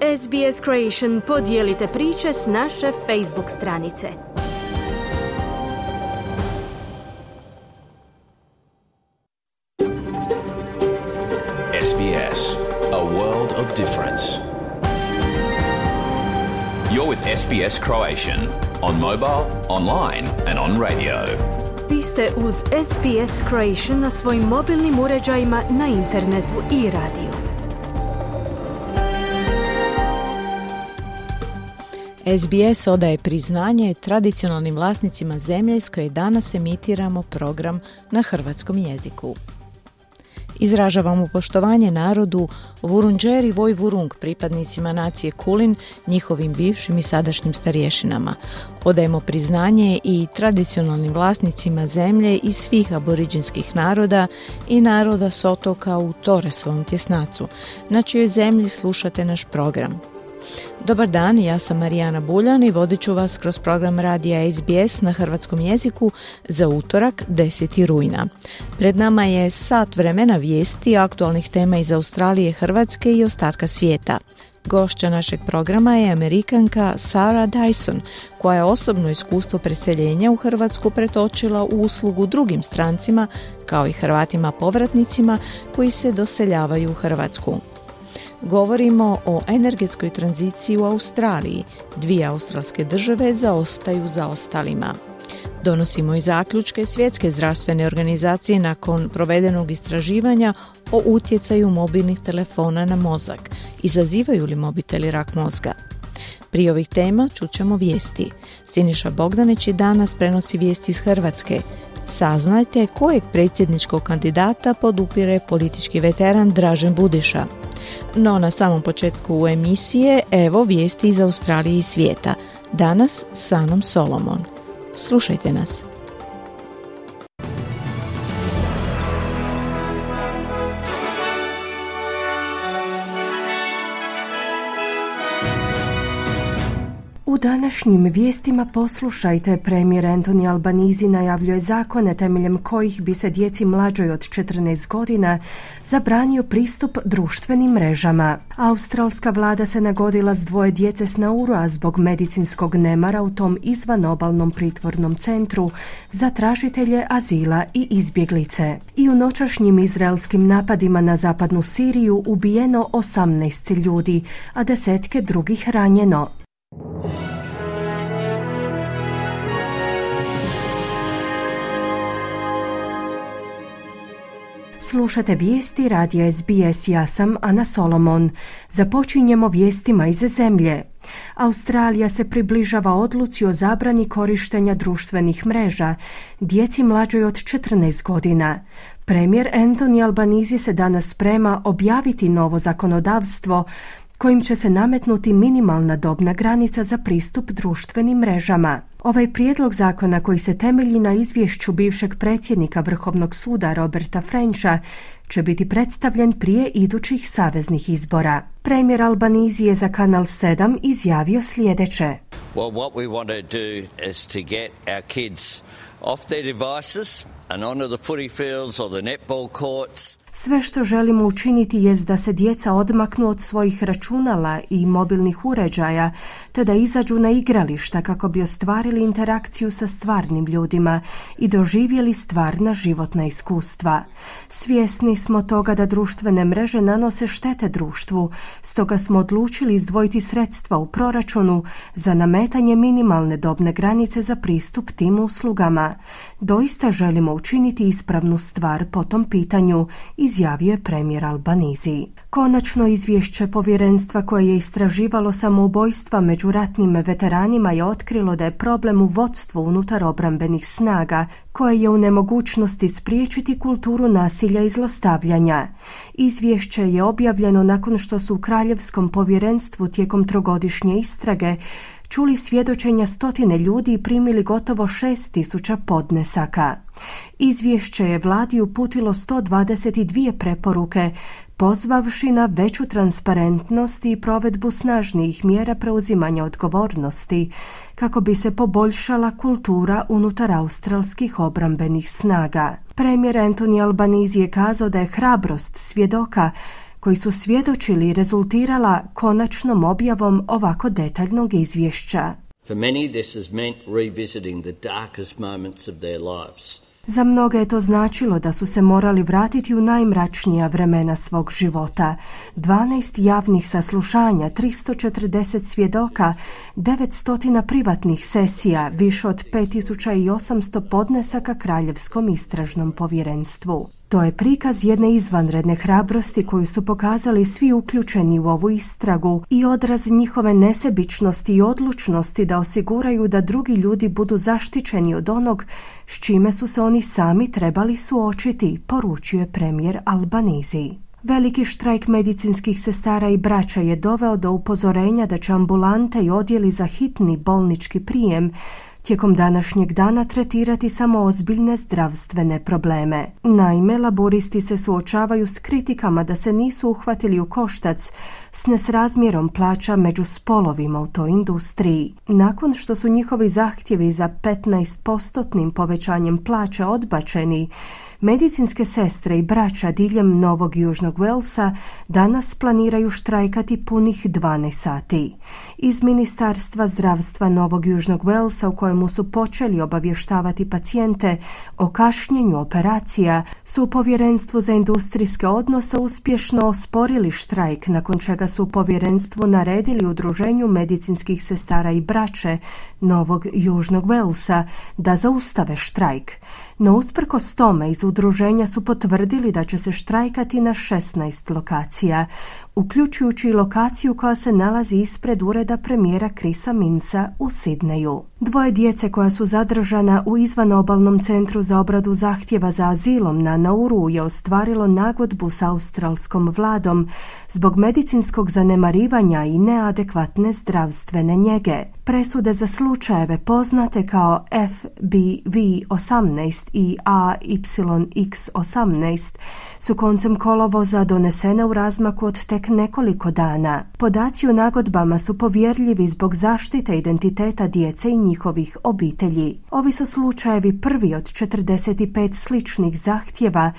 SBS Creation podijelite priče s naše Facebook stranice. SBS, a world of difference. You're with SBS Croatian on mobile, online and on radio. Vi ste uz SBS Croatian na svojim mobilnim uređajima, na internetu i radiju. SBS odaje priznanje tradicionalnim vlasnicima zemlje s koje danas emitiramo program na hrvatskom jeziku. Izražavamo poštovanje narodu Vurundjeri Vojvurung, pripadnicima nacije Kulin, njihovim bivšim i sadašnjim starješinama. Odajemo priznanje i tradicionalnim vlasnicima zemlje i svih aboriđinskih naroda i naroda s otoka u Torresovom tjesnacu, na čijoj zemlji slušate naš program. Dobar dan, ja sam Marijana Buljan i vodit ću vas kroz program radija SBS na hrvatskom jeziku za utorak 10. rujna. Pred nama je sat vremena vijesti, aktualnih tema iz Australije, Hrvatske i ostatka svijeta. Gošća našeg programa je Amerikanka Sarah Dyson, koja je osobno iskustvo preseljenja u Hrvatsku pretočila u uslugu drugim strancima, kao i Hrvatima povratnicima koji se doseljavaju u Hrvatsku. Govorimo o energetskoj tranziciji u Australiji. 2 australske države zaostaju za ostalima. Donosimo i zaključke Svjetske zdravstvene organizacije nakon provedenog istraživanja o utjecaju mobilnih telefona na mozak. Izazivaju li mobiteli rak mozga? Prije ovih tema čućemo vijesti. Siniša Bogdanić i danas prenosi vijesti iz Hrvatske. Saznajte kojeg predsjedničkog kandidata podupire politički veteran Dražen Budiša. No na samom početku emisije evo vijesti iz Australije i svijeta. Danas s Anom Solomon. Slušajte nas. U današnjim vijestima poslušajte, premijer Anthony Albanese najavljuje zakone temeljem kojih bi se djeci mlađoj od 14 godina zabranio pristup društvenim mrežama. Australska vlada se nagodila s 2 djece s Naurua zbog medicinskog nemara u tom izvanobalnom pritvornom centru za tražitelje azila i izbjeglice. I u noćašnjim izraelskim napadima na zapadnu Siriju ubijeno 18 ljudi, a 10 drugih ranjeno. Slušate vijesti radija SBS, ja sam Ana Solomon. Započinjemo vijestima iz zemlje. Australija se približava odluci o zabrani korištenja društvenih mreža djeci mlađoj od 14 godina. Premijer Anthony Albanese se danas sprema objaviti novo zakonodavstvo kojim će se nametnuti minimalna dobna granica za pristup društvenim mrežama. Ovaj prijedlog zakona, koji se temelji na izvješću bivšeg predsjednika Vrhovnog suda Roberta Frencha, će biti predstavljen prije idućih saveznih izbora. Premijer Albanese je za Kanal 7 izjavio sljedeće. Well, what we want to do is to get our kids off their devices and onto the footy fields or the netball courts. Sve što želimo učiniti jest da se djeca odmaknu od svojih računala i mobilnih uređaja, te da izađu na igrališta kako bi ostvarili interakciju sa stvarnim ljudima i doživjeli stvarna životna iskustva. Svjesni smo toga da društvene mreže nanose štete društvu, stoga smo odlučili izdvojiti sredstva u proračunu za nametanje minimalne dobne granice za pristup tim uslugama. Doista želimo učiniti ispravnu stvar po tom pitanju, izjavio je premijer Albanese. Konačno izvješće povjerenstva koje je istraživalo samoubojstva među ratnim veteranima je otkrilo da je problem u vodstvu unutar obrambenih snaga, koje je u nemogućnosti spriječiti kulturu nasilja i zlostavljanja. Izvješće je objavljeno nakon što su u Kraljevskom povjerenstvu tijekom 3-godišnje istrage čuli svjedočenja 100 ljudi i primili gotovo 6.000 podnesaka. Izvješće je vladi uputilo 122 preporuke, pozvavši na veću transparentnost i provedbu snažnijih mjera preuzimanja odgovornosti, kako bi se poboljšala kultura unutar australskih obrambenih snaga. Premijer Anthony Albanese je kazao da je hrabrost svjedoka koji su svjedočili rezultirala konačnom objavom ovako detaljnog izvješća. For many, this has meant revisiting the darkest moments of their lives. Za mnoge je to značilo da su se morali vratiti u najmračnija vremena svog života. 12 javnih saslušanja, 340 svjedoka, 900 privatnih sesija, više od 5800 podnesaka Kraljevskom istražnom povjerenstvu. To je prikaz jedne izvanredne hrabrosti koju su pokazali svi uključeni u ovu istragu i odraz njihove nesebičnosti i odlučnosti da osiguraju da drugi ljudi budu zaštićeni od onog s čime su se oni sami trebali suočiti, poručio je premijer Albanese. Veliki štrajk medicinskih sestara i braća je doveo do upozorenja da će ambulante i odjeli za hitni bolnički prijem tijekom današnjeg dana tretirati samo ozbiljne zdravstvene probleme. Naime, laburisti se suočavaju s kritikama da se nisu uhvatili u koštac s nesrazmjerom plaća među spolovima u toj industriji. Nakon što su njihovi zahtjevi za 15% povećanjem plaća odbačeni, medicinske sestre i braća diljem Novog Južnog Walesa danas planiraju štrajkati punih 12 sati. Iz Ministarstva zdravstva Novog Južnog Walesa, u kojemu su počeli obavještavati pacijente o kašnjenju operacija, su u Povjerenstvu za industrijske odnose uspješno osporili štrajk, nakon čega su u povjerenstvu naredili Udruženju medicinskih sestara i braće Novog Južnog Walesa da zaustave štrajk. No usprkos tome iz udruženja su potvrdili da će se štrajkati na 16 lokacija, uključujući i lokaciju koja se nalazi ispred ureda premijera Chrisa Minsa u Sidneju. 2 djece koja su zadržana u izvanobalnom centru za obradu zahtjeva za azilom na Nauru je ostvarilo nagodbu s australskom vladom zbog medicinskog zanemarivanja i neadekvatne zdravstvene njege. Presude za slučajeve poznate kao FBV-18 i AYX-18 su koncem kolovoza donesene u razmaku od tek nekoliko dana. Podaci o nagodbama su povjerljivi zbog zaštite identiteta djece i njihovih obitelji. Ovi su slučajevi prvi od 45 sličnih zahtjeva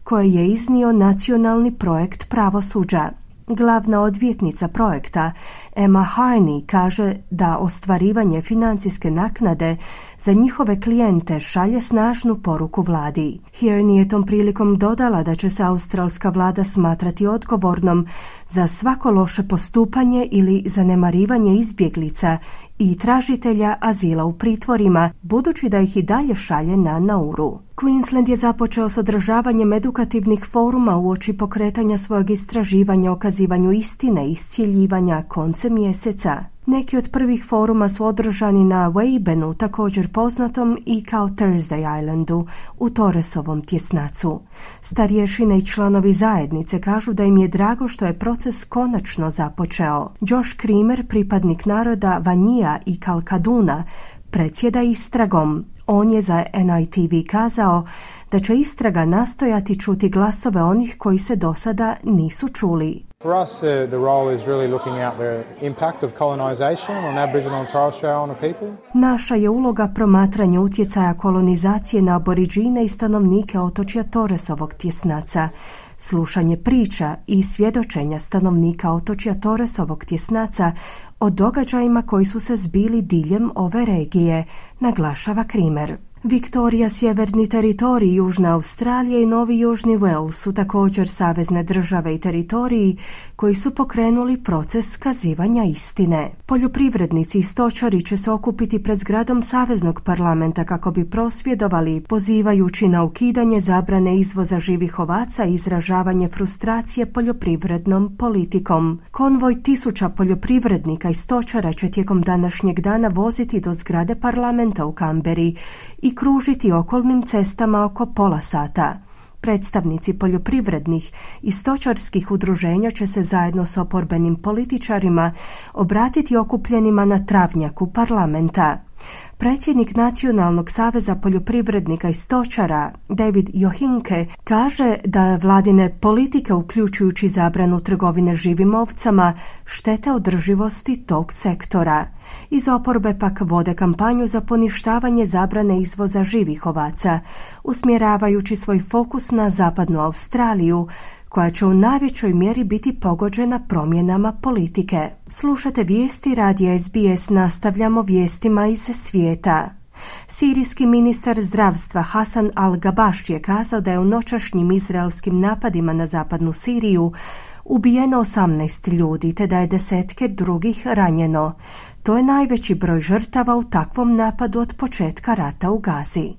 koje je iznio nacionalni projekt pravosuđa. Glavna odvjetnica projekta Emma Harney kaže da ostvarivanje financijske naknade za njihove klijente šalje snažnu poruku vladi. Harney je tom prilikom dodala da će se australska vlada smatrati odgovornom za svako loše postupanje ili zanemarivanje izbjeglica i tražitelja azila u pritvorima, budući da ih i dalje šalje na Nauru. Queensland je započeo s održavanjem edukativnih foruma uoči pokretanja svojeg istraživanja o kazivanju istine i iscijeljivanja koncem mjeseca. Neki od prvih foruma su održani na Weibenu, također poznatom i kao Thursday Islandu, u Torresovom tjesnacu. Starješine i članovi zajednice kažu da im je drago što je proces konačno započeo. Josh Creamer, pripadnik naroda Vanija i Kalkaduna, predsjeda istragom. On je za NITV kazao da će istraga nastojati čuti glasove onih koji se do sada nisu čuli. For us, the role is really looking at the impact of colonization on Aboriginal and Torres Strait Islander people. Naša je uloga promatranje utjecaja kolonizacije na aboriđine i stanovnike otočja Torresovog tjesnaca, slušanje priča i svjedočenja stanovnika otočja Torresovog tjesnaca o događajima koji su se zbili diljem ove regije, naglašava Creamer. Viktorija, Sjeverni teritorij, Južna Australija i Novi Južni Wales su također savezne države i teritoriji koji su pokrenuli proces kazivanja istine. Poljoprivrednici i stočari će se okupiti pred zgradom Saveznog parlamenta kako bi prosvjedovali, pozivajući na ukidanje zabrane izvoza živih ovaca i izražavanje frustracije poljoprivrednom politikom. Konvoj 1000 poljoprivrednika i stočara će tijekom današnjeg dana voziti do zgrade parlamenta u Kamberi i kružiti okolnim cestama oko pola sata. Predstavnici poljoprivrednih i stočarskih udruženja će se zajedno s oporbenim političarima obratiti okupljenima na travnjaku parlamenta. Predsjednik Nacionalnog saveza poljoprivrednika i stočara David Johinke kaže da vladine politike, uključujući zabranu trgovine živim ovcama, štete održivosti tog sektora. Iz oporbe pak vode kampanju za poništavanje zabrane izvoza živih ovaca, usmjeravajući svoj fokus na zapadnu Australiju, koja će u najvećoj mjeri biti pogođena promjenama politike. Slušate vijesti radija SBS, nastavljamo vijestima iz svijeta. Sirijski ministar zdravstva Hasan al-Gabaš je kazao da je u noćašnjim izraelskim napadima na zapadnu Siriju ubijeno 18 ljudi, te da je desetke drugih ranjeno. To je najveći broj žrtava u takvom napadu od početka rata u Gazi.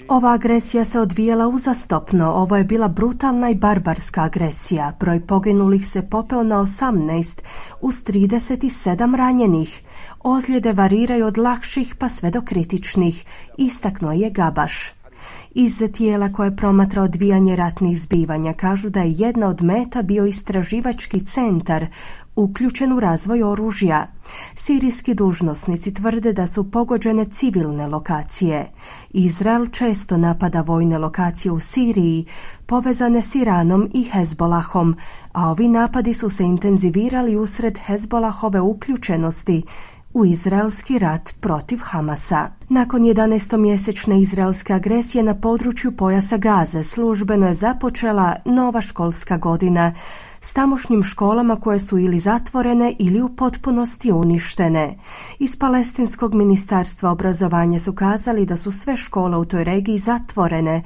Ova agresija se odvijala uzastopno. Ovo je bila brutalna i barbarska agresija. Broj poginulih se popeo na 18 uz 37 ranjenih. Ozljede variraju od lakših pa sve do kritičnih, istaknuo je Gabaš. Iz tijela koje promatra odvijanje ratnih zbivanja kažu da je jedna od meta bio istraživački centar uključen u razvoj oružja. Sirijski dužnosnici tvrde da su pogođene civilne lokacije. Izrael često napada vojne lokacije u Siriji povezane s Iranom i Hezbolahom, a ovi napadi su se intenzivirali usred Hezbolahove uključenosti u izraelski rat protiv Hamasa. Nakon 11-mjesečne izraelske agresije na području pojasa Gaze službeno je započela nova školska godina s tamošnjim školama koje su ili zatvorene ili u potpunosti uništene. Iz Palestinskog ministarstva obrazovanja su kazali da su sve škole u toj regiji zatvorene,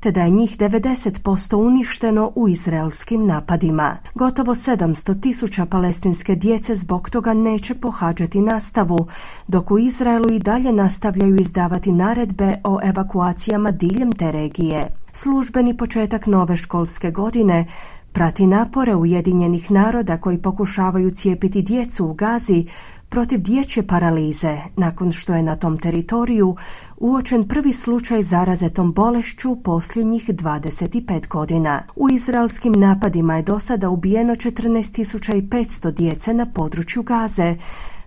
te da je njih 90% uništeno u izraelskim napadima. Gotovo 700.000 palestinske djece zbog toga neće pohađati nastavu, dok u Izraelu i dalje nastavljaju izdavati naredbe o evakuacijama diljem te regije. Službeni početak nove školske godine prati napore Ujedinjenih naroda koji pokušavaju cijepiti djecu u Gazi protiv dječje paralize, nakon što je na tom teritoriju uočen prvi slučaj zaraze tom bolešću posljednjih 25 godina. U izraelskim napadima je do sada ubijeno 14.500 djece na području Gaze,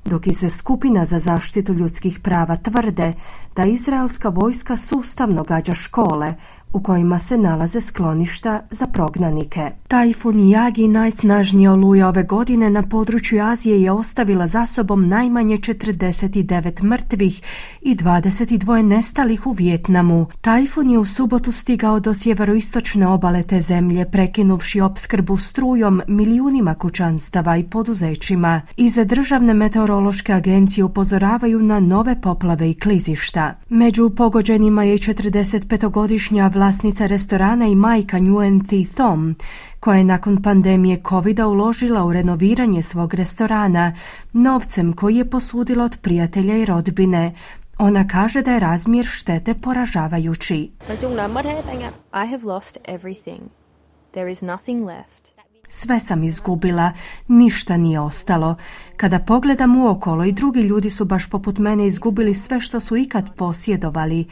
dok iz skupina za zaštitu ljudskih prava tvrde da izraelska vojska sustavno gađa škole u kojima se nalaze skloništa za prognanike. Tajfun Yagi, najsnažnija oluja ove godine na području Azije, je ostavila za sobom najmanje 49 mrtvih i 22 nestalih u Vijetnamu. Tajfun je u subotu stigao do sjeveroistočne obale te zemlje, prekinuvši opskrbu strujom milijunima kućanstava i poduzećima. Iz državne meteorološke agencije upozoravaju na nove poplave i klizišta. Među pogođenima je 45-godišnja vlasnica restorana i majka Nguyen Thi Thom, koja je nakon pandemije covida uložila u renoviranje svog restorana novcem koji je posudila od prijatelja i rodbine. Ona kaže da je razmjer štete poražavajući. I have lost everything. There is nothing left. Sve sam izgubila, ništa nije ostalo. Kada pogledam uokolo, i drugi ljudi su baš poput mene izgubili sve što su ikad posjedovali.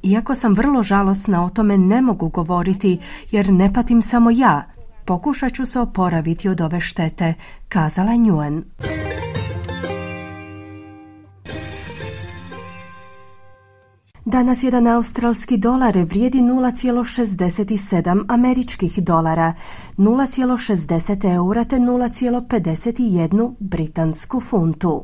Iako sam vrlo žalosna, o tome ne mogu govoriti, jer ne patim samo ja. Pokušat ću se oporaviti od ove štete, kazala je Nguyen. Danas jedan australski dolar vrijedi 0,67 američkih dolara, 0,60 eura te 0,51 britansku funtu.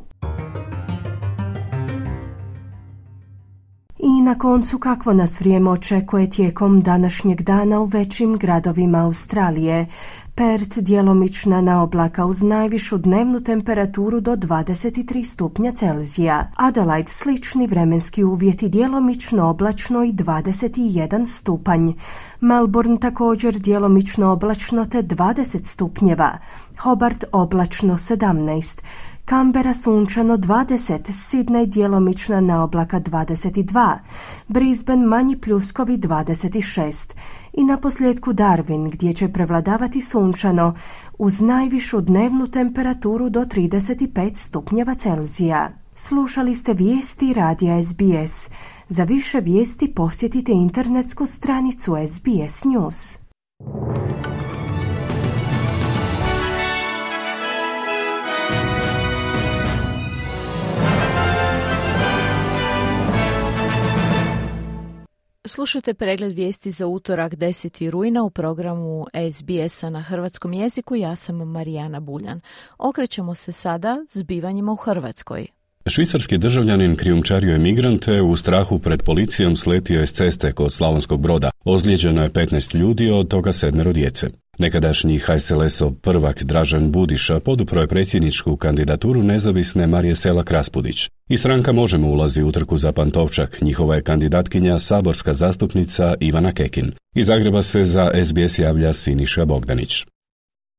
I na koncu, kakvo nas vrijeme očekuje tijekom današnjeg dana u većim gradovima Australije. Perth djelomična na oblaka uz najvišu dnevnu temperaturu do 23 stupnja Celzija. Adelaide slični vremenski uvjeti, djelomično oblačno i 21 stupanj. Melbourne također djelomično oblačno te 20 stupnjeva. Hobart oblačno 17. Canberra sunčano 20, Sydney djelomična na oblaka 22, Brisbane manji pljuskovi 26 i naposljetku Darwin gdje će prevladavati sunčano uz najvišu dnevnu temperaturu do 35 stupnjeva Celzija. Slušali ste vijesti radija SBS. Za više vijesti posjetite internetsku stranicu SBS News. Slušajte pregled vijesti za utorak 10. rujna u programu SBS-a na hrvatskom jeziku. Ja sam Marijana Buljan. Okrećemo se sada zbivanjima u Hrvatskoj. Švicarski državljanin krijumčario je migrante, u strahu pred policijom sletio je s ceste kod Slavonskog Broda. Ozlijeđeno je 15 ljudi, od toga 7 djece. Nekadašnji HSLS-ov prvak Dražen Budiša podupro je predsjedničku kandidaturu nezavisne Marije Selak Raspudić. I stranka Možemo ulazi u trku za Pantovčak. Njihova je kandidatkinja saborska zastupnica Ivana Kekin. Iz Zagreba se za SBS javlja Siniša Bogdanić.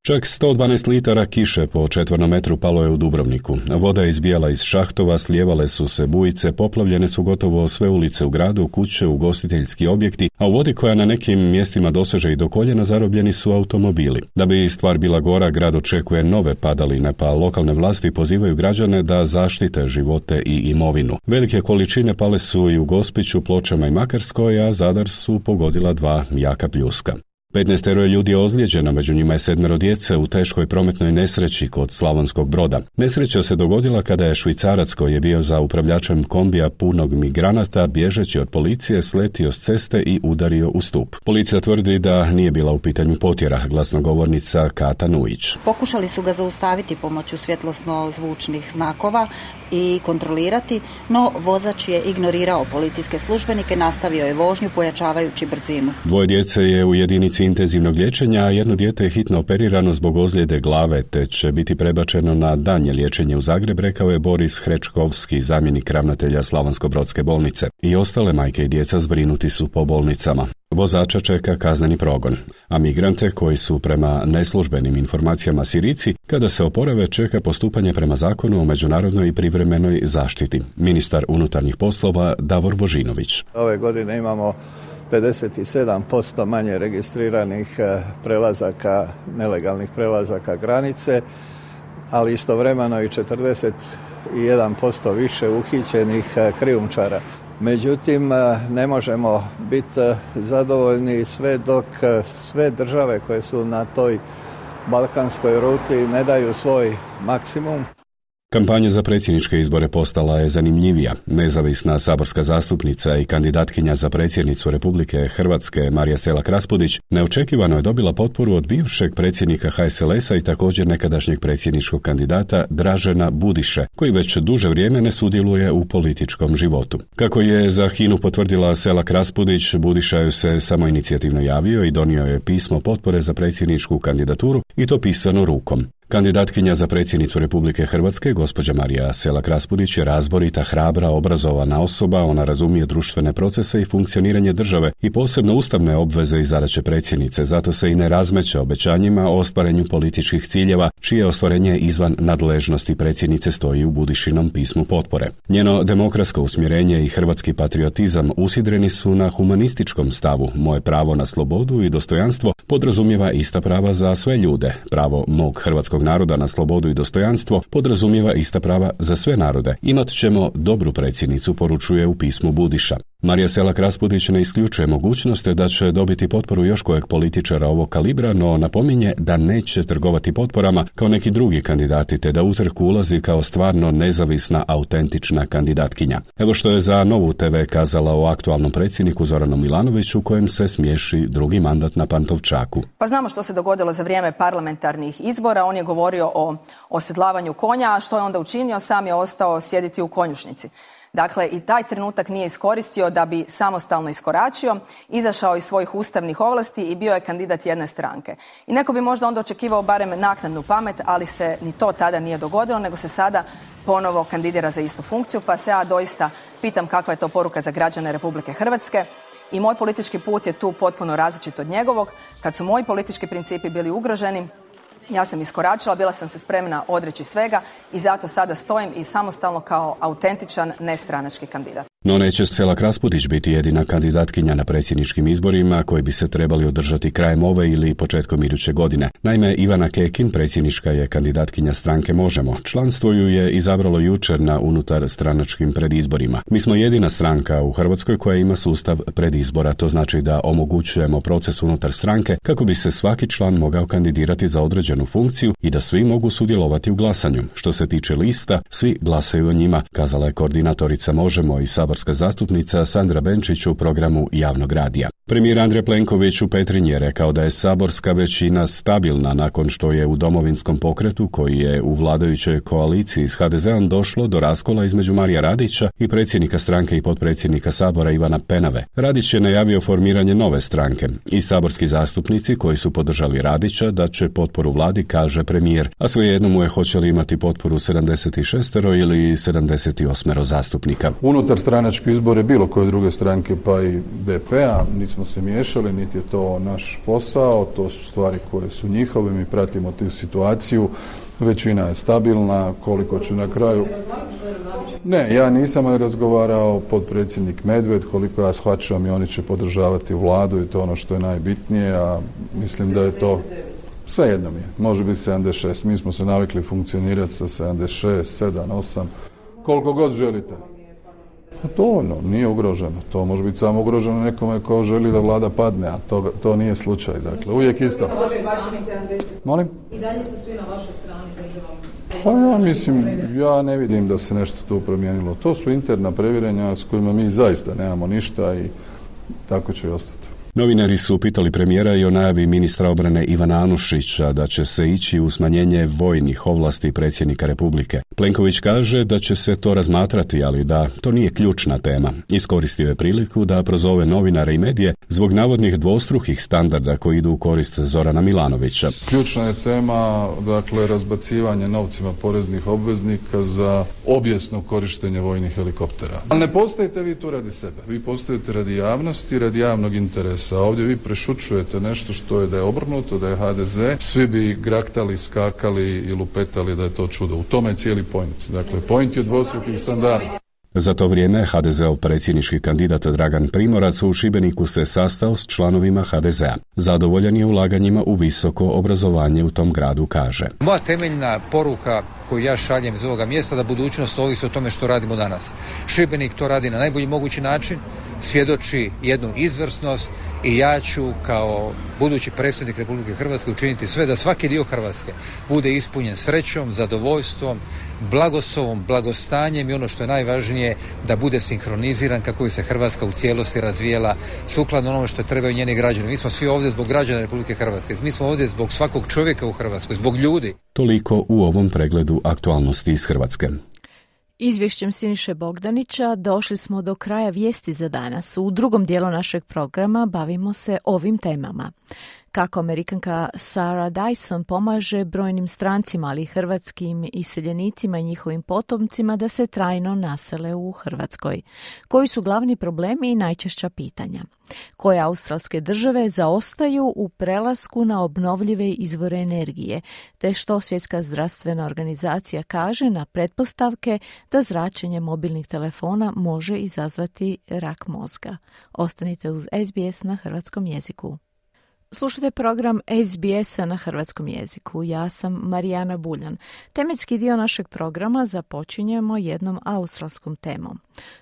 Čak 112 litara kiše po četvornom metru palo je u Dubrovniku. Voda je izbijala iz šahtova, slijevale su se bujice, poplavljene su gotovo sve ulice u gradu, kuće, ugostiteljski objekti, a u vodi koja na nekim mjestima doseže i do koljena zarobljeni su automobili. Da bi stvar bila gora, grad očekuje nove padaline, pa lokalne vlasti pozivaju građane da zaštite živote i imovinu. Velike količine pale su i u Gospiću, Pločama i Makarskoj, a Zadar su pogodila 2 jaka pljuska. 15 ljudi je ozlijeđeno, među njima je 7 djece u teškoj prometnoj nesreći kod Slavonskog Broda. Nesreća se dogodila kada je Švicarac koji je bio za upravljačem kombija punog migranata bježeći od policije sletio s ceste i udario u stup. Policija tvrdi da nije bila u pitanju potjera, glasnogovornica Kata Nujić. Pokušali su ga zaustaviti pomoću svjetlosno-zvučnih znakova i kontrolirati, no vozač je ignorirao policijske službenike, nastavio je vožnju pojačavajući brzinu. 2 djece je u jedinici intenzivnog liječenja, a 1 dijete je hitno operirano zbog ozljede glave, te će biti prebačeno na daljnje liječenje u Zagreb, rekao je Boris Hrečkovski, zamjenik ravnatelja Slavonsko-brodske bolnice. I ostale majke i djeca zbrinuti su po bolnicama. Vozača čeka kazneni progon, a migrante koji su prema neslužbenim informacijama Sirijci, kada se oporave čeka postupanje prema zakonu o međunarodnoj i privremenoj zaštiti. Ministar unutarnjih poslova Davor Božinović. Ove godine imamo 57% manje registriranih prelazaka, nelegalnih prelazaka granice, ali istovremeno i 41% više uhićenih krijumčara. Međutim, ne možemo biti zadovoljni sve dok sve države koje su na toj balkanskoj ruti ne daju svoj maksimum. Kampanja za predsjedničke izbore postala je zanimljivija. Nezavisna saborska zastupnica i kandidatkinja za predsjednicu Republike Hrvatske Marija Selak Raspudić neočekivano je dobila potporu od bivšeg predsjednika HSLS-a i također nekadašnjeg predsjedničkog kandidata Dražena Budiše, koji već duže vrijeme ne sudjeluje u političkom životu. Kako je za HINA-u potvrdila Selak Raspudić, Budiša ju se samoinicijativno javio i donio je pismo potpore za predsjedničku kandidaturu i to pisano rukom. Kandidatkinja za predsjednicu Republike Hrvatske, gospođa Marija Selak Raspudić, je razborita, hrabra, obrazovana osoba, ona razumije društvene procese i funkcioniranje države i posebno ustavne obveze i zadaće predsjednice, zato se i ne razmeće obećanjima o ostvarenju političkih ciljeva, čije ostvarenje izvan nadležnosti predsjednice stoji u Budišinom pismu potpore. Njeno demokratsko usmjerenje i hrvatski patriotizam usidreni su na humanističkom stavu. Moje pravo na slobodu i dostojanstvo podrazumijeva ista prava za sve ljude. Pravo mog hrvatskog naroda na slobodu i dostojanstvo podrazumijeva ista prava za sve narode. Imat ćemo dobru predsjednicu, poručuje u pismu Budiša. Marija Selak Raspudić ne isključuje mogućnost da će dobiti potporu još kojeg političara ovog kalibra, no napominje da neće trgovati potporama kao neki drugi kandidati, te da u trku ulazi kao stvarno nezavisna, autentična kandidatkinja. Evo što je za Novu TV kazala o aktualnom predsjedniku Zoranu Milanoviću, kojem se smiješi drugi mandat na Pantovčaku. Pa znamo što se dogodilo za vrijeme parlamentarnih izbora. On je govorio o osedlavanju konja, a što je onda učinio? Sam je ostao sjediti u konjušnici. Dakle, i taj trenutak nije iskoristio da bi samostalno iskoračio, izašao iz svojih ustavnih ovlasti i bio je kandidat jedne stranke. I neko bi možda onda očekivao barem naknadnu pamet, ali se ni to tada nije dogodilo, nego se sada ponovo kandidira za istu funkciju, pa se ja doista pitam kakva je to poruka za građane Republike Hrvatske. I moj politički put je tu potpuno različit od njegovog. Kad su moji politički principi bili ugroženi, ja sam iskoračila, bila sam se spremna odreći svega i zato sada stojim i samostalno kao autentičan nestranački kandidat. No neće Selak Raspudić biti jedina kandidatkinja na predsjedničkim izborima koji bi se trebali održati krajem ove ili početkom iduće godine. Naime, Ivana Kekin, predsjednička je kandidatkinja stranke Možemo. Članstvo ju je izabralo jučer na unutar stranačkim predizborima. Mi smo jedina stranka u Hrvatskoj koja ima sustav predizbora. To znači da omogućujemo proces unutar stranke kako bi se svaki član mogao kandidirati za određenu funkciju i da svi mogu sudjelovati u glasanju. Što se tiče lista, svi glasaju o njima, kazala je koordinatorica Možemo i saborska saborska zastupnica Sandra Benčić u programu javnog radija. Premijer Andrej Plenković u Petrinji je rekao da je saborska većina stabilna nakon što je u Domovinskom pokretu, koji je u vladajućoj koaliciji s HDZ-om, došlo do raskola između Marija Radića i predsjednika stranke i potpredsjednika Sabora Ivana Penave. Radić je najavio formiranje nove stranke i saborski zastupnici koji su podržali Radića da će potporu vladi, kaže premijer, a svejedno mu je hoće li imati potporu 76 ili 78 zastupnika. Unutar stranačke izbore bilo koje druge stranke pa i DP-a nismo se miješali, niti je to naš posao, to su stvari koje su njihove, mi pratimo tu situaciju, većina je stabilna, koliko će na kraju... Ne, ja nisam razgovarao, potpredsjednik Medved, koliko ja shvaćam i oni će podržavati vladu i to ono što je najbitnije, a mislim da je to... Sve jedno mi je, može biti 76, mi smo se navikli funkcionirati sa 76, 7, 8, koliko god želite. A to nije ugroženo, to može biti samo ugroženo nekome ko želi da vlada padne, a to nije slučaj, dakle, uvijek isto. Molim? I dalje su svi na vašoj strani državom? Pa ja mislim, ja ne vidim da se nešto tu promijenilo. To su interna previranja s kojima mi zaista nemamo ništa i tako će i ostati. Novinari su pitali premijera i o najavi ministra obrane Ivana Anušića da će se ići u smanjenje vojnih ovlasti predsjednika Republike. Plenković kaže da će se to razmatrati, ali da to nije ključna tema. Iskoristio je priliku da prozove novinare i medije zbog navodnih dvostrukih standarda koji idu u korist Zorana Milanovića. Ključna je tema, dakle, razbacivanje novcima poreznih obveznika za obijesno korištenje vojnih helikoptera. Ali ne postojite vi tu radi sebe, vi postojite radi javnosti, radi javnog interesa. A ovdje vi prešućujete nešto što je da je obrnuto, da je HDZ, svi bi graktali, skakali i lupetali da je to čudo. U tome je cijeli point. Dakle, point je dvostrukih standarda. Za to vrijeme HDZ-ov predsjednički kandidat Dragan Primorac u Šibeniku se sastao s članovima HDZ-a. Zadovoljan je ulaganjima u visoko obrazovanje u tom gradu, kaže. Moja temeljna poruka koju ja šaljem iz ovoga mjesta da budućnost ovisi o tome što radimo danas. Šibenik to radi na najbolji mogući način, svjedoči jednu izvrsnost i ja ću kao budući predsjednik Republike Hrvatske učiniti sve da svaki dio Hrvatske bude ispunjen srećom, zadovoljstvom, blagoslovom, blagostanjem i ono što je najvažnije da bude sinhroniziran kako bi se Hrvatska u cijelosti razvijela sukladno onome što trebaju njeni građani. Mi smo svi ovdje zbog građana Republike Hrvatske, mi smo ovdje zbog svakog čovjeka u Hrvatskoj, zbog ljudi. Toliko u ovom pregledu aktualnosti iz Hrvatske. Izvješćem Siniše Bogdanića došli smo do kraja vijesti za danas. U drugom dijelu našeg programa bavimo se ovim temama. Kako Amerikanka Sarah Dyson pomaže brojnim strancima, ali i hrvatskim iseljenicima i njihovim potomcima da se trajno nasele u Hrvatskoj. Koji su glavni problemi i najčešća pitanja? Koje australske države zaostaju u prelasku na obnovljive izvore energije, te što Svjetska zdravstvena organizacija kaže na pretpostavke da zračenje mobilnih telefona može izazvati rak mozga. Ostanite uz SBS na hrvatskom jeziku. Slušajte program SBS-a na hrvatskom jeziku. Ja sam Marijana Buljan. Tematski dio našeg programa započinjemo jednom australskom temom.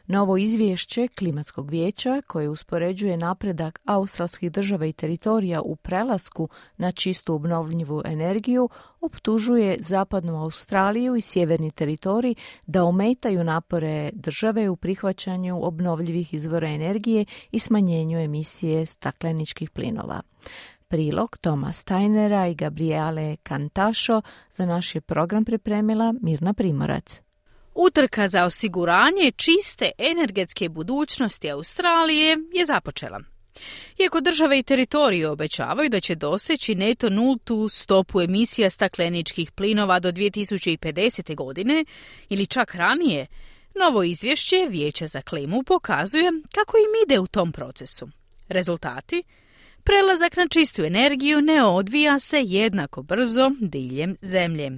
Novo izvješće Klimatskog vijeća koje uspoređuje napredak australskih država i teritorija u prelasku na čistu obnovljivu energiju optužuje zapadnu Australiju i sjeverni teritorij da ometaju napore države u prihvaćanju obnovljivih izvora energije i smanjenju emisije stakleničkih plinova. Prilog Toma Steinera i Gabriele Cantašo za naš je program pripremila Mirna Primorac. Utrka za osiguranje čiste energetske budućnosti Australije je započela. Iako države i teritoriji obećavaju da će doseći neto nultu stopu emisija stakleničkih plinova do 2050. godine ili čak ranije, novo izvješće Vijeća za klimu pokazuje kako im ide u tom procesu. Rezultati? Prelazak na čistu energiju ne odvija se jednako brzo diljem zemlje.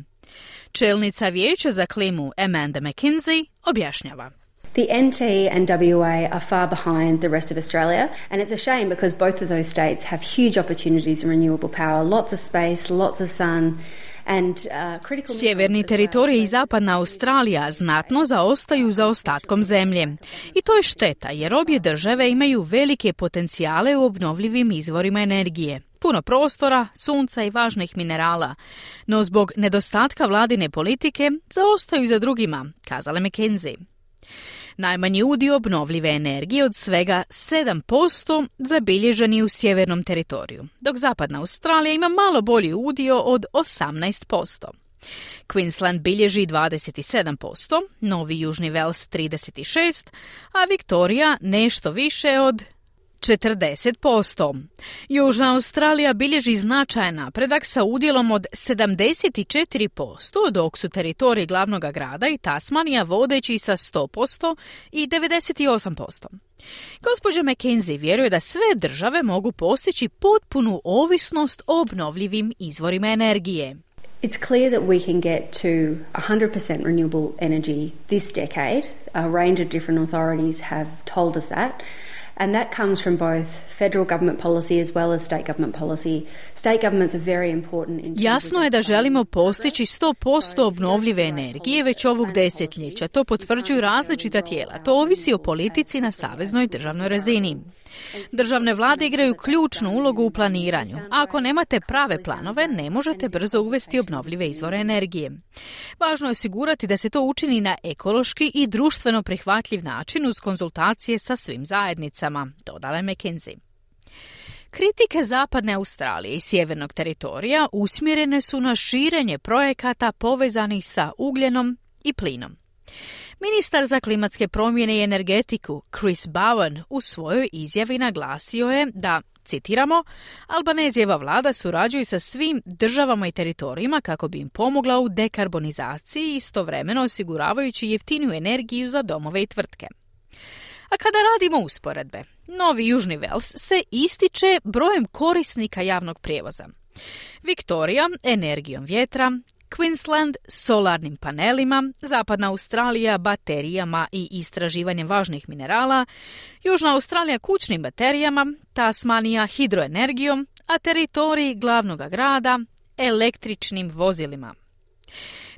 Čelnica Vijeća za klimu Amanda McKinsey objašnjava. The NT and WA are far behind the rest of Australia, and it's a shame because both of those states have huge opportunities in renewable power, lots of space, lots of sun. Sjeverni teritorij i zapadna Australija znatno zaostaju za ostatkom zemlje. I to je šteta jer obje države imaju velike potencijale u obnovljivim izvorima energije. Puno prostora, sunca i važnih minerala, no zbog nedostatka vladine politike zaostaju za drugima, kazala McKinsey. Najmanji udio obnovljive energije od svega 7% zabilježen je u sjevernom teritoriju, dok zapadna Australija ima malo bolji udio od 18%. Queensland bilježi 27%, Novi Južni Vels 36%, a Viktorija nešto više od 40%. Južna Australija bilježi značajan napredak sa udjelom od 74%, dok su teritoriji glavnog grada i Tasmanija vodeći sa 100% i 98%. Gospođa McKenzie vjeruje da sve države mogu postići potpunu ovisnost o obnovljivim izvorima energije. It's clear that we can get to 100% renewable energy this decade. A range of different authorities have told us that. And that comes from both federal government policy as well as state government policy. State governments are very important in Jasno je da želimo postići 100% obnovljive energije već ovog desetljeća. To potvrđuju različita tijela. To ovisi o politici na saveznoj državnoj razini. Državne vlade igraju ključnu ulogu u planiranju. A ako nemate prave planove, ne možete brzo uvesti obnovljive izvore energije. Važno je osigurati da se to učini na ekološki i društveno prihvatljiv način uz konzultacije sa svim zajednicama, dodala je McKenzie. Kritike zapadne Australije i sjevernog teritorija usmjerene su na širenje projekata povezanih sa ugljenom i plinom. Ministar za klimatske promjene i energetiku Chris Bowen u svojoj izjavi naglasio je da, citiramo, Albanezijeva vlada surađuje sa svim državama i teritorijima kako bi im pomogla u dekarbonizaciji, istovremeno osiguravajući jeftiniju energiju za domove i tvrtke. A kada radimo usporedbe, Novi Južni Vels se ističe brojem korisnika javnog prijevoza. Viktorija energijom vjetra, Queensland solarnim panelima, zapadna Australija baterijama i istraživanjem važnih minerala, Južna Australija kućnim baterijama, Tasmanija hidroenergijom, a teritoriji glavnog grada električnim vozilima.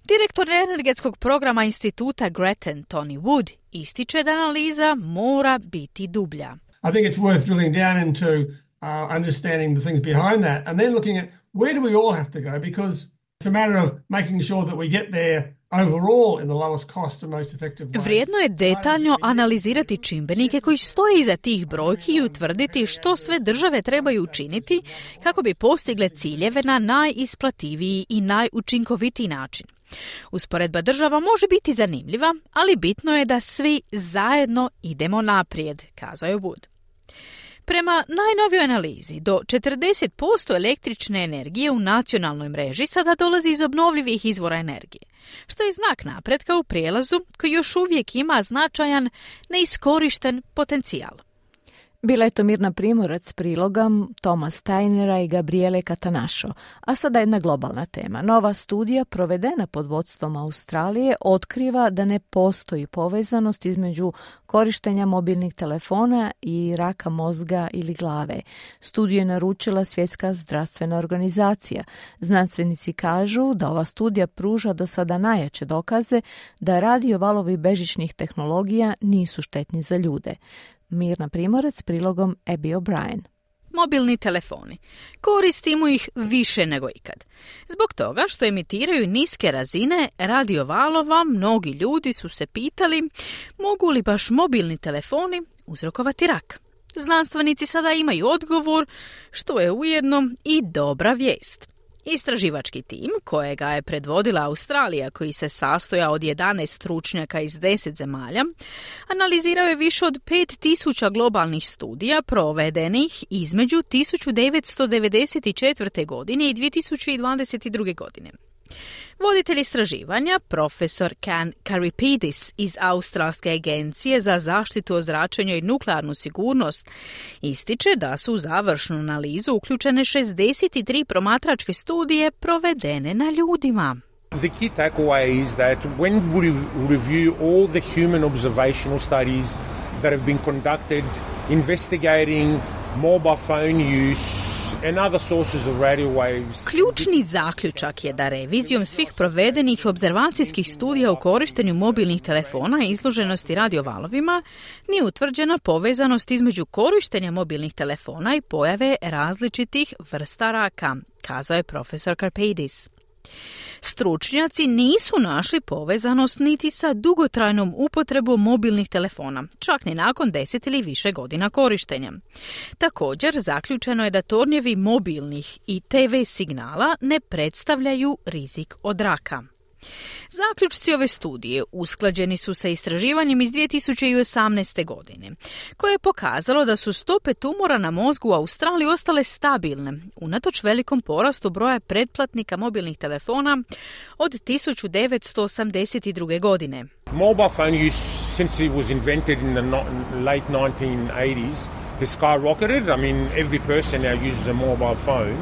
Direktor energetskog programa instituta Grattan, Tony Wood, ističe da analiza mora biti dublja. I think it's worth drilling down into understanding the things behind that and then looking at where do we all have to go, because it's a matter of making sure that we get there overall in the lowest cost and most effective way. Vrijedno je detaljno analizirati čimbenike koji stoje iza tih brojki i utvrditi što sve države trebaju učiniti kako bi postigle ciljeve na najisplativiji i najučinkovitiji način. Usporedba država može biti zanimljiva, ali bitno je da svi zajedno idemo naprijed, kazao je Wood. Prema najnovijoj analizi, do 40% električne energije u nacionalnoj mreži sada dolazi iz obnovljivih izvora energije, što je znak napretka u prijelazu koji još uvijek ima značajan neiskorišten potencijal. Bila je to Mirna Primorac s prilogom Toma Steinera i Gabriele Catanašo, a sada jedna globalna tema. Nova studija provedena pod vodstvom Australije otkriva da ne postoji povezanost između korištenja mobilnih telefona i raka mozga ili glave. Studiju je naručila Svjetska zdravstvena organizacija. Znanstvenici kažu da ova studija pruža do sada najjače dokaze da radio valovi bežičnih tehnologija nisu štetni za ljude. Mirna Primorac s prilogom Abby O'Brien. Mobilni telefoni. Koristimo ih više nego ikad. Zbog toga što emitiraju niske razine radiovalova, mnogi ljudi su se pitali mogu li baš mobilni telefoni uzrokovati rak. Znanstvenici sada imaju odgovor, što je ujedno i dobra vijest. Istraživački tim, kojega je predvodila Australija, koji se sastoja od 11 stručnjaka iz 10 zemalja, analizirao je više od 5000 globalnih studija provedenih između 1994. godine i 2022. godine. Voditelj istraživanja, profesor Can Karipidis iz Australske agencije za zaštitu od zračenja i nuklearnu sigurnost, ističe da su u završnu analizu uključene 63 promatračke studije provedene na ljudima. The key takeaway is that when we review all the human observational studies that have been conducted investigating mobile phone use and other sources of radio waves. Ključni zaključak je da revizijom svih provedenih observacijskih studija u korištenju mobilnih telefona i izloženosti radiovalovima nije utvrđena povezanost između korištenja mobilnih telefona i pojave različitih vrsta raka, kazao je profesor Karpeidis. Stručnjaci nisu našli povezanost niti sa dugotrajnom upotrebom mobilnih telefona, čak ni nakon 10 ili više godina korištenja. Također, zaključeno je da tornjevi mobilnih i TV signala ne predstavljaju rizik od raka. Zaključci ove studije usklađeni su sa istraživanjem iz 2018. godine, koje je pokazalo da su stope tumora na mozgu u Australiji ostale stabilne, unatoč velikom porastu broja pretplatnika mobilnih telefona od 1982. godine. Mobile phone use, since it was invented in the late 1980s, has skyrocketed. I mean, every person now uses a mobile phone.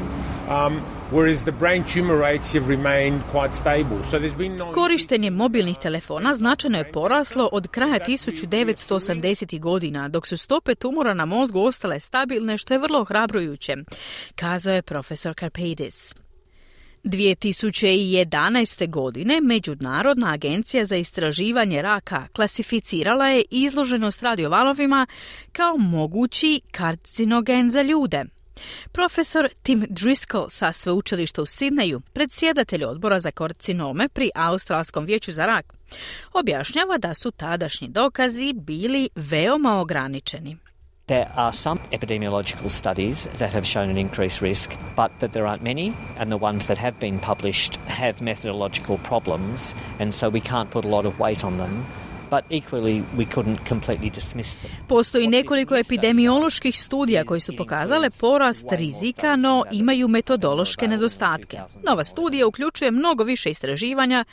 Whereas the brain tumor rates have remained quite stable. So there's been no... Korištenje mobilnih telefona značajno je poraslo od kraja 1980. godina, dok su stope tumora na mozgu ostale stabilne, što je vrlo ohrabrujuće, kazao je profesor Karpeidis. 2011. godine Međunarodna agencija za istraživanje raka klasificirala je izloženost radiovalovima kao mogući karcinogen za ljude. Profesor Tim Driscoll sa sveučilišta u Sidneju, predsjedatelj odbora za karcinome pri Australskom vijeću za rak, objašnjava da su tadašnji dokazi bili veoma ograničeni. There are some epidemiological studies that have shown an increased risk, but that there aren't many, and the ones that have been published have methodological problems, and so we can't put a lot of weight on them. But equally, we couldn't completely dismiss them. Postoji nekoliko epidemioloških studija koji su pokazale porast rizika, no imaju metodološke nedostatke. Nova studija uključuje mnogo više istraživanja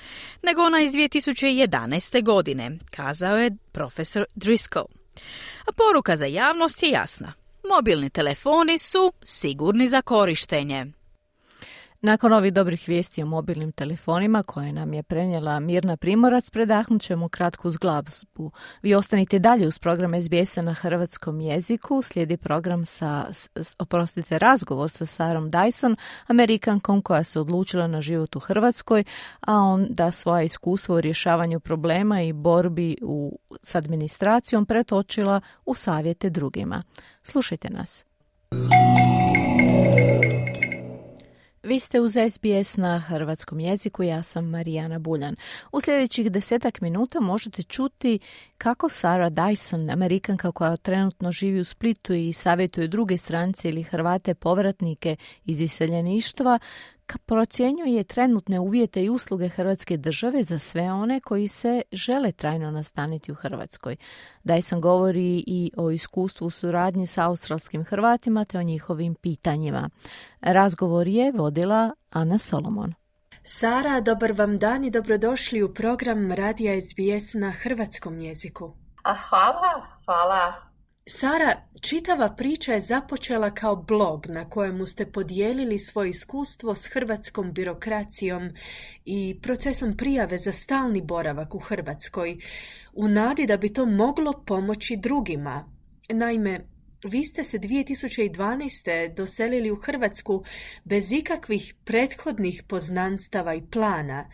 nego ona iz 2011. godine, kazao je profesor Driscoll. A poruka za javnost je jasna. Mobilni telefoni su sigurni za korištenje. Nakon ovih dobrih vijesti o mobilnim telefonima koje nam je prenijela Mirna Primorac, predahnut ćemo kratku glazbu. Vi ostanite dalje uz program SBS-a na hrvatskom jeziku. Slijedi program razgovor sa Sarom Dyson, Amerikankom koja se odlučila na život u Hrvatskoj, a onda svoje iskustvo u rješavanju problema i borbi s administracijom pretočila u savjete drugima. Slušajte nas. Vi ste uz SBS na hrvatskom jeziku, ja sam Marijana Buljan. U sljedećih 10 minuta možete čuti kako Sara Dyson, Amerikanka koja trenutno živi u Splitu i savjetuje druge strance ili Hrvate povratnike iz iseljeništva, procjenjuje trenutne uvjete i usluge Hrvatske države za sve one koji se žele trajno nastaniti u Hrvatskoj. Dyson govori i o iskustvu u suradnji sa australskim Hrvatima te o njihovim pitanjima. Razgovor je vodila Ana Solomon. Sara, dobar vam dan i dobrodošli u program Radija SBS na hrvatskom jeziku. Hvala. Sara, čitava priča je započela kao blog na kojemu ste podijelili svoje iskustvo s hrvatskom birokracijom i procesom prijave za stalni boravak u Hrvatskoj, u nadi da bi to moglo pomoći drugima. Naime, vi ste se 2012. doselili u Hrvatsku bez ikakvih prethodnih poznanstava i plana.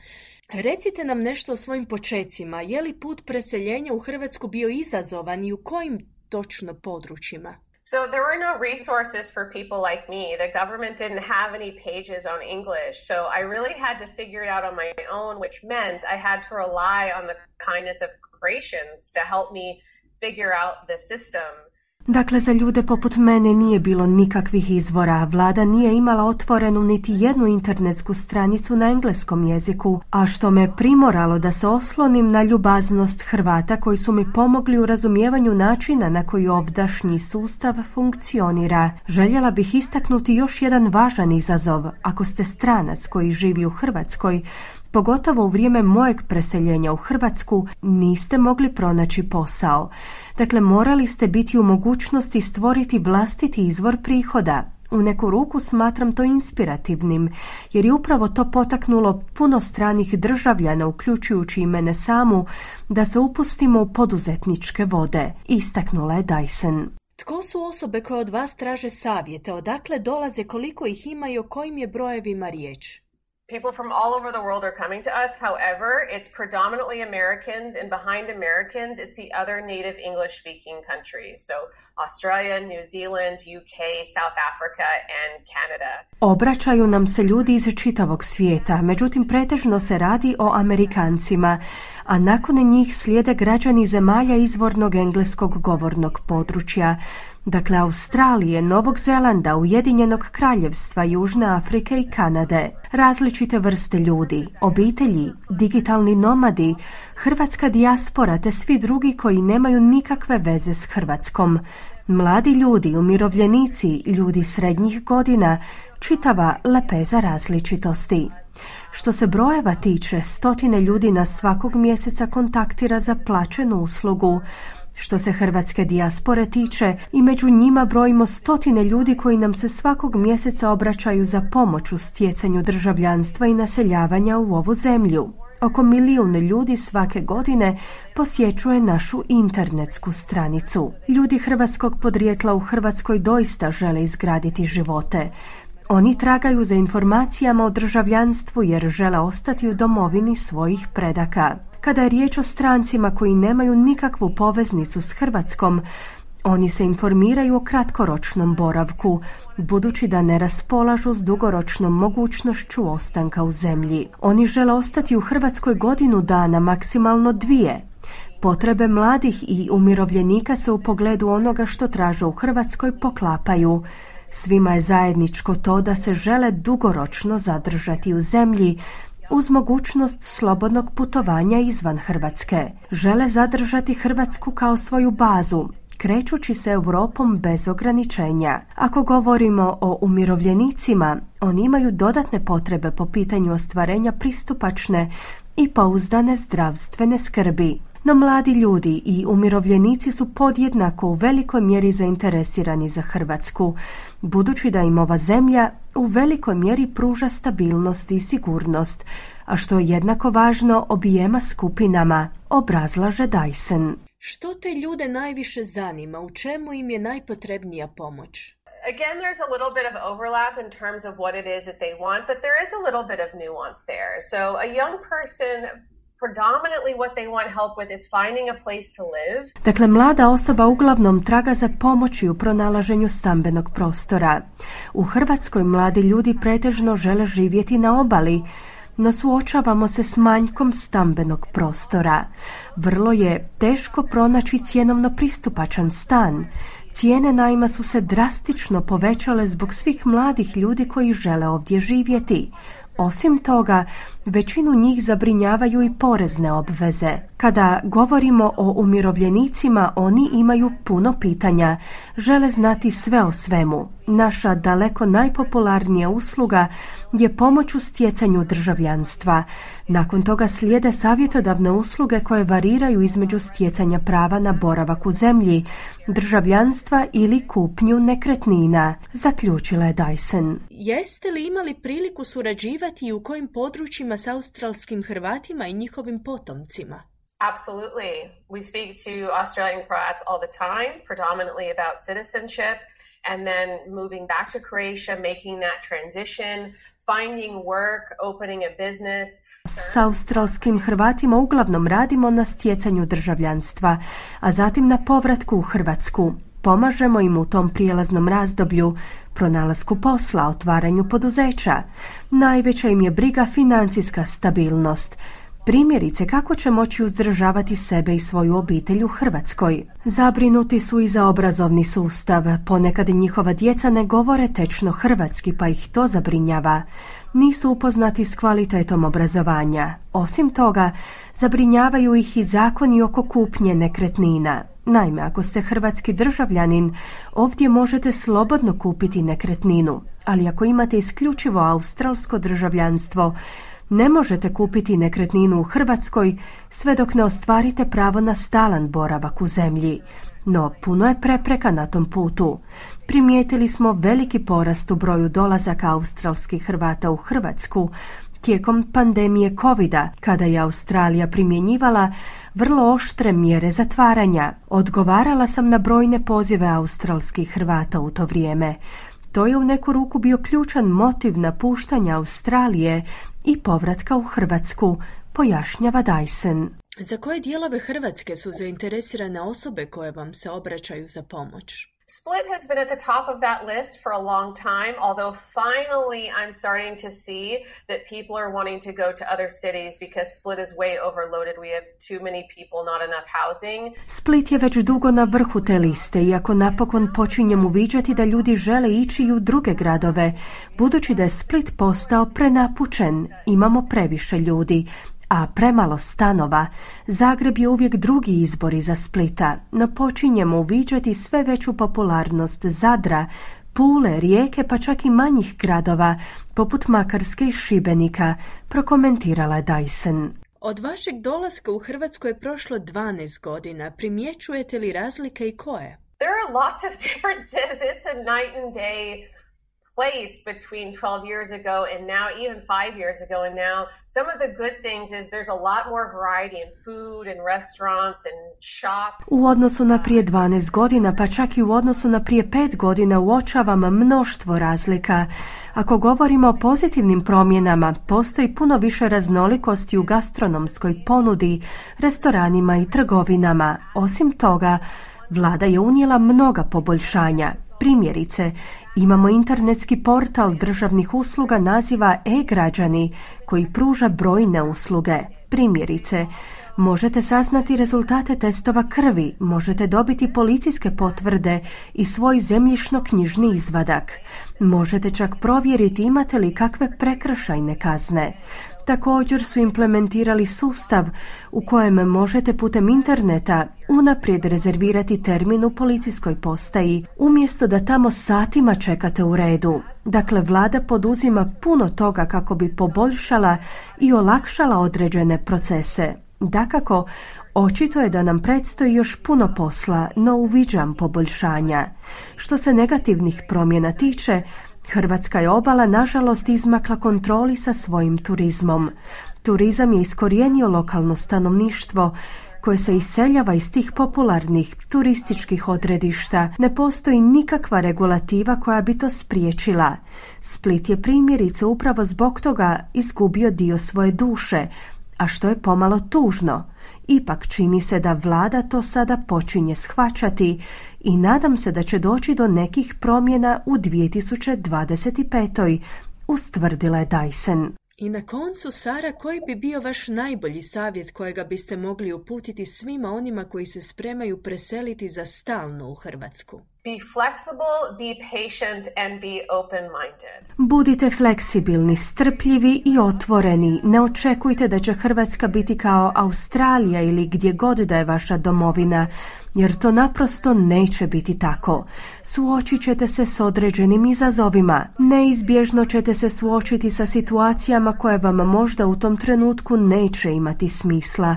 Recite nam nešto o svojim počecima. Je li put preseljenja u Hrvatsku bio izazovan i u kojim točno područjima? So there were no resources for people like me. The government didn't have any pages on English. So I really had to figure it out on my own, which meant I had to rely on the kindness of Croatians to help me figure out the system. Dakle, za ljude poput mene nije bilo nikakvih izvora. Vlada nije imala otvorenu niti jednu internetsku stranicu na engleskom jeziku, a što me primoralo da se oslonim na ljubaznost Hrvata koji su mi pomogli u razumijevanju načina na koji ovdašnji sustav funkcionira. Željela bih istaknuti još jedan važan izazov. Ako ste stranac koji živi u Hrvatskoj, pogotovo u vrijeme mojeg preseljenja u Hrvatsku, niste mogli pronaći posao. Dakle, morali ste biti u mogućnosti stvoriti vlastiti izvor prihoda. U neku ruku smatram to inspirativnim, jer je upravo to potaknulo puno stranih državljana, uključujući i mene samu, da se upustimo u poduzetničke vode, istaknula je Dyson. Tko su osobe koje od vas traže savjete? Odakle dolaze, koliko ih ima i o kojim je brojevima riječ? People from all over the world are coming to us. However, it's predominantly Americans, and behind Americans, it's the other native English-speaking countries. So Australia, New Zealand, UK, South Africa, and Canada. Obraćaju nam se ljudi iz čitavog svijeta, međutim pretežno se radi o Amerikancima, a nakon njih slijede građani zemalja izvornog engleskog govornog područja. Dakle, Australije, Novog Zelanda, Ujedinjenog Kraljevstva, Južne Afrike i Kanade. Različite vrste ljudi, obitelji, digitalni nomadi, hrvatska dijaspora te svi drugi koji nemaju nikakve veze s Hrvatskom. Mladi ljudi, umirovljenici, ljudi srednjih godina, čitava lepeza različitosti. Što se brojeva tiče, 100 ljudi nas svakog mjeseca kontaktira za plaćenu uslugu. Što se hrvatske dijaspore tiče, i među njima brojimo 100 ljudi koji nam se svakog mjeseca obraćaju za pomoć u stjecanju državljanstva i naseljavanja u ovu zemlju. Oko 1 milijun ljudi svake godine posjećuje našu internetsku stranicu. Ljudi hrvatskog podrijetla u Hrvatskoj doista žele izgraditi živote. Oni tragaju za informacijama o državljanstvu jer žele ostati u domovini svojih predaka. Kada je riječ o strancima koji nemaju nikakvu poveznicu s Hrvatskom, oni se informiraju o kratkoročnom boravku, budući da ne raspolažu s dugoročnom mogućnošću ostanka u zemlji. Oni žele ostati u Hrvatskoj 1 godinu dana, maksimalno 2. Potrebe mladih i umirovljenika se u pogledu onoga što traže u Hrvatskoj poklapaju. Svima je zajedničko to da se žele dugoročno zadržati u zemlji, uz mogućnost slobodnog putovanja izvan Hrvatske. Žele zadržati Hrvatsku kao svoju bazu, krećući se Europom bez ograničenja. Ako govorimo o umirovljenicima, oni imaju dodatne potrebe po pitanju ostvarenja pristupačne i pouzdane zdravstvene skrbi. No mladi ljudi i umirovljenici su podjednako u velikoj mjeri zainteresirani za Hrvatsku, budući da im ova zemlja u velikoj mjeri pruža stabilnost i sigurnost, a što je jednako važno objema skupinama, obrazlaže Dyson. Što te ljude najviše zanima? U čemu im je najpotrebnija pomoć? Again, there's a little bit of overlap in terms of what it is that they want, but there is a little bit of nuance there. So a young person, predominantly what they want help with is finding a place to live. Dakle, mlada osoba uglavnom traga za pomoći u pronalaženju stambenog prostora. U Hrvatskoj mladi ljudi pretežno žele živjeti na obali, no suočavamo se s manjkom stambenog prostora. Vrlo je teško pronaći cjenovno pristupačan stan. Cijene najma su se drastično povećale zbog svih mladih ljudi koji žele ovdje živjeti. Osim toga, većinu njih zabrinjavaju i porezne obveze. Kada govorimo o umirovljenicima, oni imaju puno pitanja, žele znati sve o svemu. Naša daleko najpopularnija usluga je pomoć u stjecanju državljanstva. Nakon toga slijede savjetodavne usluge koje variraju između stjecanja prava na boravak u zemlji, državljanstva ili kupnju nekretnina, zaključila je Dyson. Jeste li imali priliku surađivati i u kojim područjima s australskim Hrvatima i njihovim potomcima? Absolutely. We speak to Australian Croats all the time, predominantly about citizenship, and then moving back to Croatia, making that transition, finding work, opening a business. S australskim Hrvatima uglavnom radimo na stjecanju državljanstva, a zatim na povratku u Hrvatsku. Pomažemo im u tom prijelaznom razdoblju, pronalasku posla, otvaranju poduzeća. Najveća im je briga financijska stabilnost. Primjerice, kako će moći uzdržavati sebe i svoju obitelj u Hrvatskoj. Zabrinuti su i za obrazovni sustav. Ponekad njihova djeca ne govore tečno hrvatski, pa ih to zabrinjava. Nisu upoznati s kvalitetom obrazovanja. Osim toga, zabrinjavaju ih i zakoni oko kupnje nekretnina. Naime, ako ste hrvatski državljanin, ovdje možete slobodno kupiti nekretninu, ali ako imate isključivo australsko državljanstvo, ne možete kupiti nekretninu u Hrvatskoj sve dok ne ostvarite pravo na stalan boravak u zemlji. No, puno je prepreka na tom putu. Primijetili smo veliki porast u broju dolazaka australskih Hrvata u Hrvatsku tijekom pandemije covida, kada je Australija primjenjivala vrlo oštre mjere zatvaranja. Odgovarala sam na brojne pozive australskih Hrvata u to vrijeme. To je u neku ruku bio ključan motiv napuštanja Australije i povratka u Hrvatsku, pojašnjava Dyson. Za koje dijelove Hrvatske su zainteresirane osobe koje vam se obraćaju za pomoć? Split has been at the top of that list for a long time, although finally I'm starting to see that people are wanting to go to other cities because Split is way overloaded. We have too many people, not enough housing. Split je već dugo na vrhu te liste, iako napokon počinjem uviđati da ljudi žele ići i u druge gradove, budući da je Split postao prenapučen. Imamo previše ljudi, a premalo stanova. Zagreb je uvijek drugi izbor iza Splita, no počinjemo uviđati sve veću popularnost Zadra, Pule, Rijeke, pa čak i manjih gradova, poput Makarske i Šibenika, prokomentirala Dyson. Od vašeg dolaska u Hrvatsku je prošlo 12 godina. Primjećujete li razlike i koje? There are lots of differences. It's a night and day place between 12 years ago and now, even 5 years ago and now. Some of the good things is there's a lot more variety in food and restaurants and shops. U odnosu na prije 12 godina, pa čak i u odnosu na prije 5 godina uočavam mnoštvo razlika. Ako govorimo o pozitivnim promjenama, postoji puno više raznolikosti u gastronomskoj ponudi, restoranima i trgovinama. Osim toga, vlada je unijela mnoga poboljšanja. Primjerice, imamo internetski portal državnih usluga naziva e-građani koji pruža brojne usluge. Primjerice, možete saznati rezultate testova krvi, možete dobiti policijske potvrde i svoj zemljišno-knjižni izvadak. Možete čak provjeriti imate li kakve prekršajne kazne. Također su implementirali sustav u kojem možete putem interneta unaprijed rezervirati termin u policijskoj postaji, umjesto da tamo satima čekate u redu. Dakle, vlada poduzima puno toga kako bi poboljšala i olakšala određene procese. Dakako, očito je da nam predstoji još puno posla, no uviđam poboljšanja. Što se negativnih promjena tiče, Hrvatska je obala nažalost izmakla kontroli sa svojim turizmom. Turizam je iskorijenio lokalno stanovništvo koje se iseljava iz tih popularnih turističkih odredišta. Ne postoji nikakva regulativa koja bi to spriječila. Split je primjerice upravo zbog toga izgubio dio svoje duše, a što je pomalo tužno. Ipak čini se da vlada to sada počinje shvaćati i nadam se da će doći do nekih promjena u 2025. ustvrdila je Dyson. I na koncu, Sara, koji bi bio vaš najbolji savjet kojega biste mogli uputiti svima onima koji se spremaju preseliti za stalno u Hrvatsku? Be flexible, be patient and be open-minded. Budite fleksibilni, strpljivi i otvoreni. Ne očekujte da će Hrvatska biti kao Australija ili gdje god da je vaša domovina, jer to naprosto neće biti tako. Suočit ćete se s određenim izazovima. Neizbježno ćete se suočiti sa situacijama koje vam možda u tom trenutku neće imati smisla.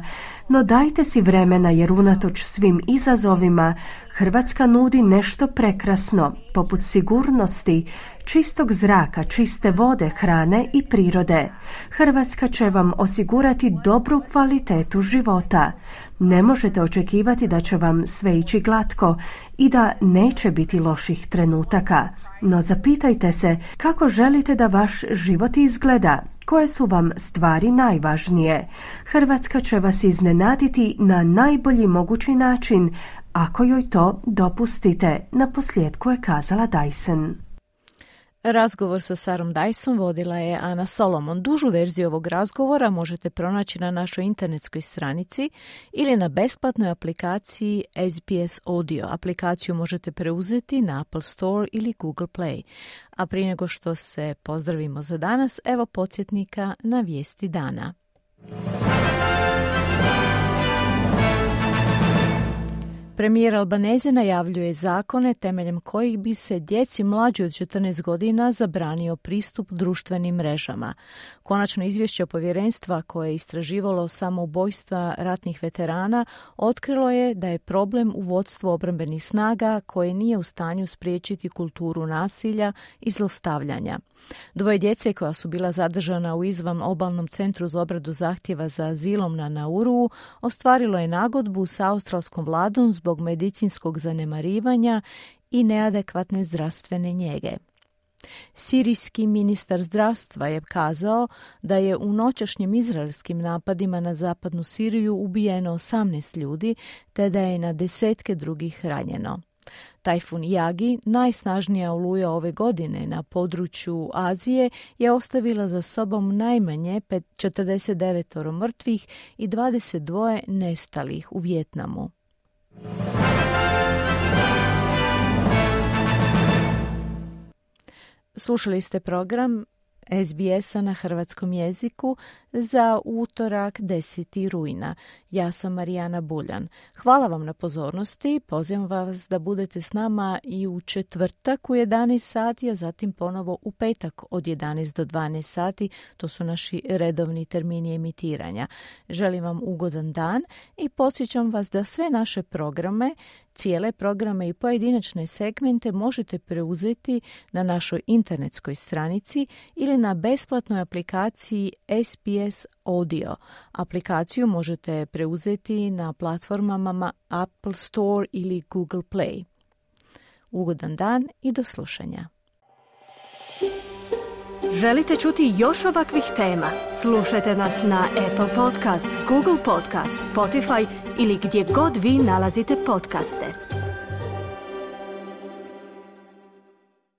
No dajte si vremena jer unatoč svim izazovima Hrvatska nudi nešto prekrasno, poput sigurnosti, čistog zraka, čiste vode, hrane i prirode. Hrvatska će vam osigurati dobru kvalitetu života. Ne možete očekivati da će vam sve ići glatko i da neće biti loših trenutaka. No zapitajte se kako želite da vaš život izgleda, koje su vam stvari najvažnije. Hrvatska će vas iznenaditi na najbolji mogući način, ako joj to dopustite, naposljetku je kazala Dyson. Razgovor sa Sarom Dyson vodila je Ana Solomon. Dužu verziju ovog razgovora možete pronaći na našoj internetskoj stranici ili na besplatnoj aplikaciji SBS Audio. Aplikaciju možete preuzeti na Apple Store ili Google Play. A prije nego što se pozdravimo za danas, evo podsjetnika na vijesti dana. Premijer Albanese najavljuje zakone temeljem kojih bi se djeci mlađi od 14 godina zabranio pristup društvenim mrežama. Konačno izvješće povjerenstva koje je istraživalo samoubojstva ratnih veterana otkrilo je da je problem u vodstvu obrambenih snaga koje nije u stanju spriječiti kulturu nasilja i zlostavljanja. 2 djece koja su bila zadržana u izvan obalnom centru za obradu zahtjeva za azilom na Nauruu ostvarilo je nagodbu sa australskom vladom zbog medicinskog zanemarivanja i neadekvatne zdravstvene njege. Sirijski ministar zdravstva je kazao da je u noćašnjim izraelskim napadima na zapadnu Siriju ubijeno 18 ljudi, te da je na desetke drugih ranjeno. Tajfun Yagi, najsnažnija oluja ove godine na području Azije, je ostavila za sobom najmanje 49 mrtvih i 22 nestalih u Vijetnamu. Slušali ste program SBS-a na hrvatskom jeziku za utorak 10. rujna. Ja sam Marijana Buljan. Hvala vam na pozornosti. Pozivam vas da budete s nama i u četvrtak u 11 sati, a zatim ponovo u petak od 11 do 12 sati. To su naši redovni termini emitiranja. Želim vam ugodan dan i podsjećam vas da sve naše programe, cijele programe i pojedinačne segmente možete preuzeti na našoj internetskoj stranici ili na besplatnoj aplikaciji SBS Audio. Aplikaciju možete preuzeti na platformama Apple Store ili Google Play. Ugodan dan i do slušanja. Želite čuti još ovakvih tema? Slušajte nas na Apple Podcast, Google Podcast, Spotify ili gdje god vi nalazite podcaste.